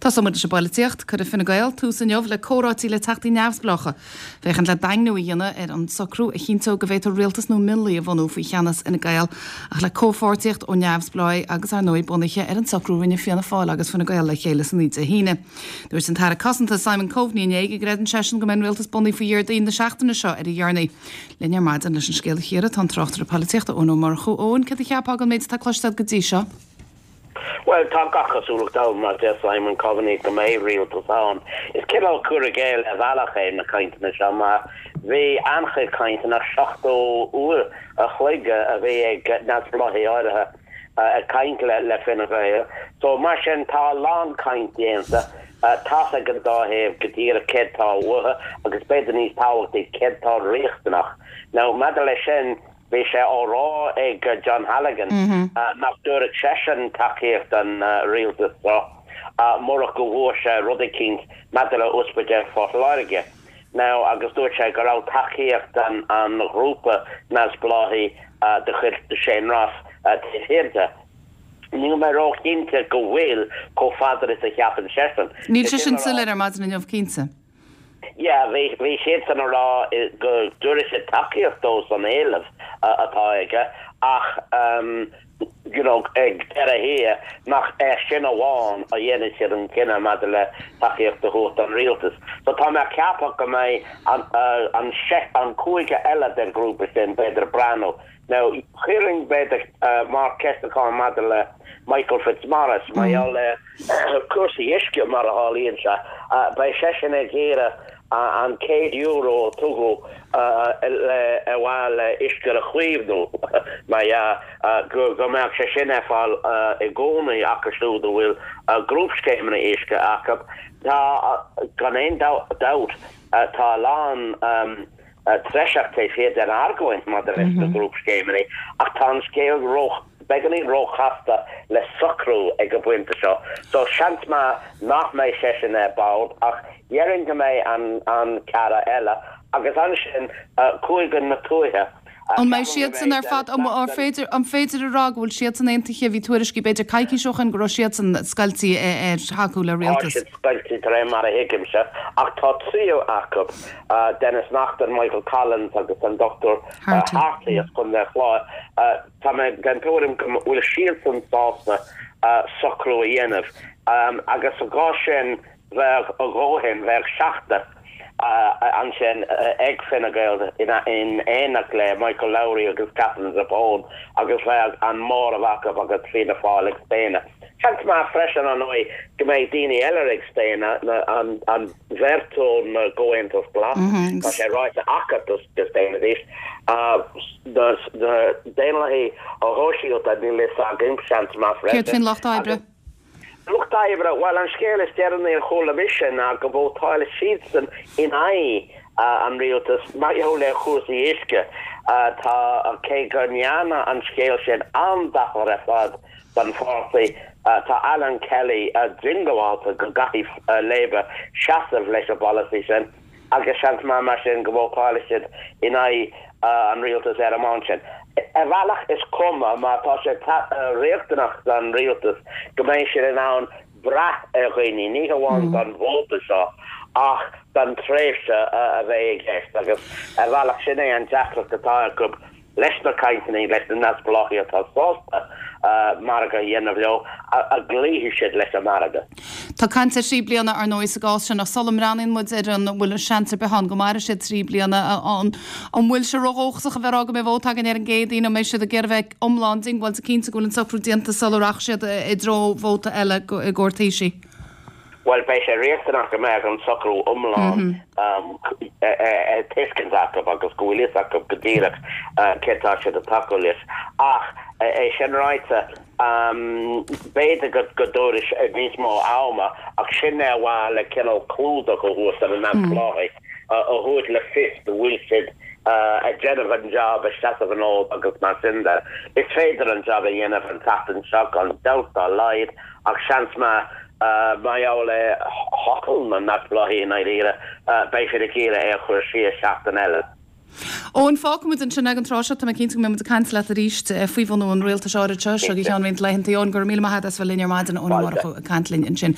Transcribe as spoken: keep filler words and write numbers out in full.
Tosóidh muid leis an bpolaitíocht. Cuirfidh Fine Gael tús inniu le comhráití le teachtaí neamhspleácha. Féachaint le daingniú a dhéanamh ar an socrú a chinnteodh go bhféadfar rialtas nó mionlaigh a bhunú faoi cheannas Fhine Gael ach le comhpháirtíocht ó neamhspleáigh agus ar ndóigh bunaithe ar an socrú a rinne Fianna Fáil agus Fine Gael le chéile san Dé hAoine. Dúirt an tAire Cosanta Simon Coveney inné go gcreideann seisean go mbeidh an rialtas bunaithe faoi Dhéardaoin na seachtaine seo ar a dheireanaí. Linn ar maidin leis an scéal a chíoradh tá an tráchtaire polaitíochta Eoin Ó Murchú. Eoin, cad a cheapfá den méid atá cloiste go dtí seo? Well tá gach cosúlacht ann mar deir Simon Coveney go mbeidh rialtas ann. Is cineál cur i gcéill ar bhealach é na cainteanna seo mar bhí an-chuid cainteanna seachtó uair a chloig a bhí ag neamhspleáigh áirithe ag caint le le Fine Gael. So mar sin tá a lán caint déanta tá ag an dá thaobh go díreach céard atá uathu agus b'fhéidir níos tábhachtaí céard atá riachtanach. Now maidir leis sin bhí sé á rá ag John Halligan nach dtabharfadh seisean tacaíocht an rialtas seo murach go bhfuair sé rud eicínt maidir le Ospidéal Phort Láirge. Now agus dúirt sé go raibh tacaíocht an an ghrúpa neamhspleáigh de chuid Shane Ross taobh thiar de. Níl mé róchinnte go bhfuil chomh fada is a cheapann seisean. Níl sé sin soiléir ar maidin inniu cinnte. Ja, bhí bhí siad san rá go dtabharfaidh siad tacaíocht dó san éileamh atá aige ach um, you know, ag deireadh thiar nach é sin amháin a dhéanfaidh siad an cinneadh maidir le tacaíocht a thabhairt don rialtas. So tá mé ag ceapadh go mbeidh an, uh, an, an cúige eile den ghrúpa sin b'fhéidir breathnú. Now chuirfinn b'fhéidir uh, mar ceistachán maidir le Michael Fitzmaurice mar mm. le cúrsaí uisce mar a tharlaíonn sé uh, beidh seisean ag iarraidh an céad euro tugadh le bhfuil uisce a chaomhnú mar go go mbeadh sé sin ar fáil i gcónaí acu siúd a bhfuil grúpscéimeanna uisce acu tá gan aon dabht tá lán treiseach fé den argóint mar leis na grúpscéimeanna ach tá an scéal ró beagáinín róchasta le socrú ag an bpointe seo. So seans maith nach mbeidh seisean ar bord ach déarfainn go mbeidh an an ceathrar eile agus ansin cúige na tuaithe. An mbeidh siad san ar fad an féidir an féidir a rá go bhfuil siad san aontaithe bhí tuairiscí b'fhéidir coicís ó shin go raibh siad san scoilte ar thacú le rialtas. Scoilte de réir mar a thuigimse ach tá tríú acu Denis Naughten Michael Collins agus an Dr Hartley as Contae an Chláir Tá mé den tuairim go bhfuil siad san sásta socrú a dhéanamh agus sa gcás sin bheadh a dhóthain bheadh seachtar ansin ag Fine Gael in in éineacht le Michael Lowry agus Catherine Zappone agus bheadh an móramh acu agus Fianna Fáil ag staonadh. Seans maith freisin an ndóigh go mbeidh daoine eile ag staonadh an an bheirt ón gComhaontas Glas Tá sé ráite acu go staonfaidís Daonlathaigh Shóisialta níl a fhios agam seans maith freisin. Céard faoin lucht oibre? Lucht oibre bhuel an scéal is deireanaí a chuala mise ná go vótálfaidh siadsan in aghaidh an rialtas mar gheall le cúrsaí uisce tá cé go ndearna an scéal sin an-dochar ar fad don pháirtí tá Alan Kelly diongbháilte go gcaithfidh Labour seasamh leis an bpolasaí sin agus seans maith mar sin go vótálfaidh siad in aghaidh an rialtas ar an mbonn sin. Ar bhealach is cuma mar tá sé riachtanach don rialtas go mbeidh siad in ann brath ar dhaoine, ní hamháin don vóta seo ach don tréimhse a bheidh i gceist agus ar bhealach sin é an deacracht atá acu leis na cainteanna leis na neamhspleáigh atá sásta margadh a dhéanamh leo a gcloífidh siad leis an margadh. Tá caint ar thrí bliana ar ndóigh sa gcás sin ach sula mbreathnaíonn muid ar an bhfuil seans ar bith ann go mairfidh siad trí bliana an an bhfuil sé ródhóchasach a bheith ag rá go mbeidh vóta againn ar an gCéadaoin an mbeidh siad ag iarraidh bheith iomlán diongbháilte cinnte go bhfuil an socrú déanta sula rachaidh siad i dtreo vóta eile i gcomhair Taoisigh. Bhuel beidh sé riachtanach go mbeadh an socrú iomlán ar tuiscint acu agus go bhfuil fhios acu go díreach cé tá siad ag tacú leis. Ach é sin ráite b'fhéidir go go dtabharfaidh níos mó ama ach sin é bhfuil le cineál clúdach a thabhairt ar na neamhspleáigh a thabhairt le fios go bhfuil siad ag déanamh an job ag seasamh an fhóid agus mar sin de. Is féidir an job a dhéanamh an tseachtain seo gan dabht dá laghad ach seans maith mar gheall ar thoil na neamhspleáigh i ndáiríre beidh siad ag iarraidh é a chur siar seachtain eile. Eoin fágfaimid ansin ag an tráth seo tá mé cinnte go mbeidh muid ag caint leat arís faoi bhunú an rialtais áirithe seo go ceann roinnt laethanta Eoin go raibh míle maith agat as bheith linn ar maidin Eoin Ó Murchú ag caint linn ansin.